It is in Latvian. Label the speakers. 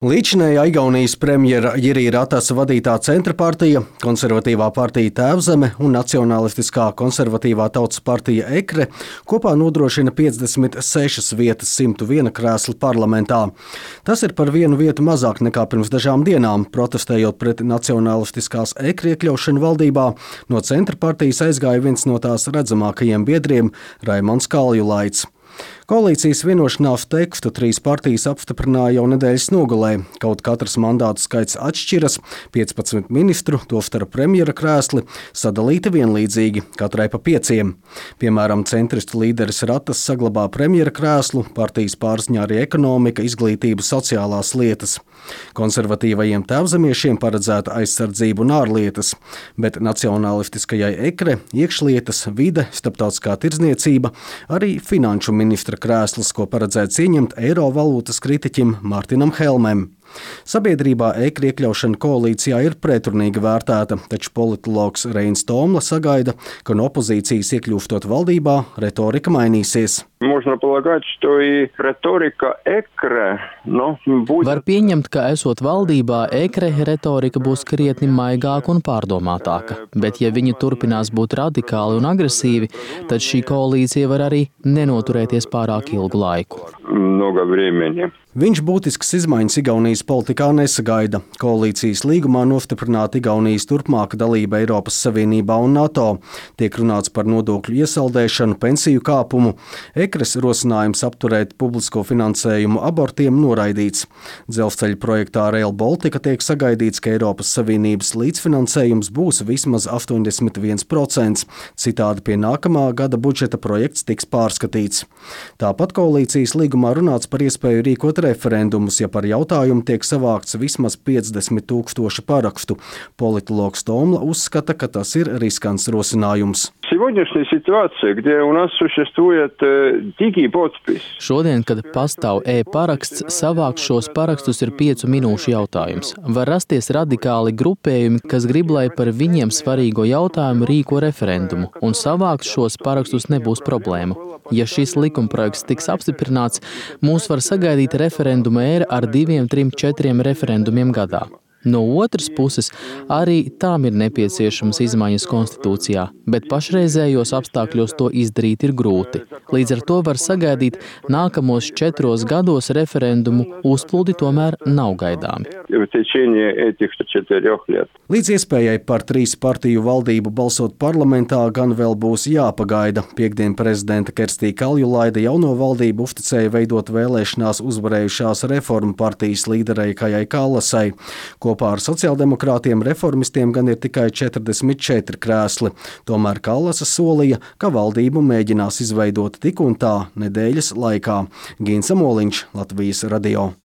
Speaker 1: Līdzinējā Igaunijas premjera Jiri Ratasa vadītā Centra partija, Konservatīvā partija Tēvzeme un Nacionalistiskā konservatīvā tautas partija EKRE kopā nodrošina 56 vietas 101 krēsli parlamentā. Tas ir par vienu vietu mazāk nekā pirms dažām dienām, protestējot pret nacionalistiskās EKRE iekļaušanu valdībā. No Centra partijas aizgāja viens no tās redzamākajiem biedriem – Raimonds Kaljulaits. Koalīcijas vienošanās tekstu trīs partijas apstiprināja jau nedēļas nogalē. Kaut katrs mandātu skaits atšķiras, 15 ministru, tostarp premjera krēsli, sadalīti vienlīdzīgi, katrai pa 5. Piemēram, centristu līderis Ratas saglabā premjera krēslu, partijas pārziņā arī ekonomika, izglītība, sociālās lietas. Konservatīvajiem tēvzemiešiem paredzēta aizsardzība un ārlietas, bet nacionalistiskajai EKRE iekšlietas, vide, starptautiskā tirdzniecība, arī finanšu ministra krēsls, ko paredzēts ieņemt eiro valūtas kritiķim Mārtinam Helmem. Sabiedrībā EKRE iekļaušana koalīcijā ir pretrunīgi vērtēta, taču politologs Reinis Tomla sagaida, ka no opozīcijas iekļūstot valdībā retorika mainīsies.
Speaker 2: Var pieņemt, ka esot valdībā, EKRE retorika būs krietni maigāka un pārdomātāka, bet ja viņi turpinās būt radikāli un agresīvi, tad šī koalīcija var arī nenoturēties pārāk ilgu laiku.
Speaker 1: Viņš būtiskas izmaiņas Igaunijas politikā nesagaida. Koalīcijas līgumā nostiprināta Igaunijas turpmāka dalība Eiropas Savienībā un NATO. Tiek runāts par nodokļu iesaldēšanu, pensiju kāpumu. EKRES rosinājums apturēt publisko finansējumu abortiem noraidīts. Dzelzceļa projektā Rail Baltica tiek sagaidīts, ka Eiropas Savienības līdzfinansējums būs vismaz 81%. Citādi pie nākamā gada budžeta projekts tiks pārskatīts. Tāpat koalīcijas līgumā runāts par iespēju rīkot referendumus, ja par jautājumu tiek savākts vismaz 50,000 parakstu. Politologs Tomla uzskata, ka tas ir riskants rosinājums.
Speaker 2: Šodien, kad pastāv e-paraksts, savākt šos parakstus ir 5 minūšu jautājums. Var rasties radikāli grupējumi, kas grib, lai par viņiem svarīgo jautājumu rīko referendumu, un savākt šos parakstus nebūs problēma. Ja šis likumprojekts tiks apstiprināts, mūs var sagaidīt referenduma ēra ar 2, 3, 4 referendumiem gadā. No otras puses, arī tām ir nepieciešamas izmaiņas konstitūcijā, bet pašreizējos apstākļos to izdarīt ir grūti. Līdz ar to var sagaidīt nākamos 4 gados referendumu uzplūdi tomēr nav gaidāmi.
Speaker 1: Līdz iespējai par 3 partiju valdību balsot parlamentā gan vēl būs jāpagaida. Piektdien prezidenta Kerstī Kaljulaida jauno valdību uzticēja veidot vēlēšanās uzvarējušās reformu partijas līderei Kajai Kallasai. Kopā ar sociāldemokrātiem reformistiem gan ir tikai 44 krēsli. Tomēr Kallasa solīja, ka valdību mēģinās izveidot tik un tā nedēļas laikā. Gins Amoliņš, Latvijas radio.